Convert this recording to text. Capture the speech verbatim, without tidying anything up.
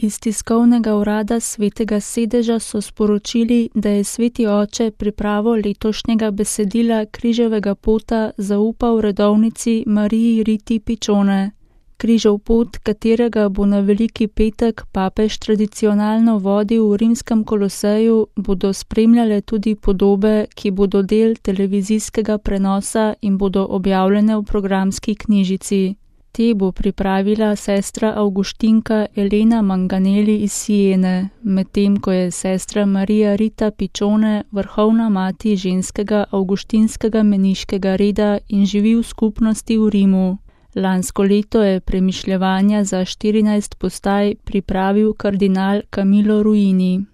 Iz tiskovnega urada Svetega sedeža so sporočili, da je Sveti oče pripravo letošnjega besedila križevega pota zaupal redovnici Mariji Riti Pičone. Križev pot, katerega bo na Veliki petek papež tradicionalno vodil v rimskem Koloseju, bodo spremljale tudi podobe, ki bodo del televizijskega prenosa in bodo objavljene v programski knjižici. Te bo pripravila sestra Avguštinka Elena Manganeli iz Siene, medtem ko je sestra Marija Rita Pičone vrhovna mati ženskega avguštinskega meniškega reda in živi v skupnosti v Rimu. Lansko leto je premišljevanja za štirinajst postaj pripravil kardinal Camillo Ruini.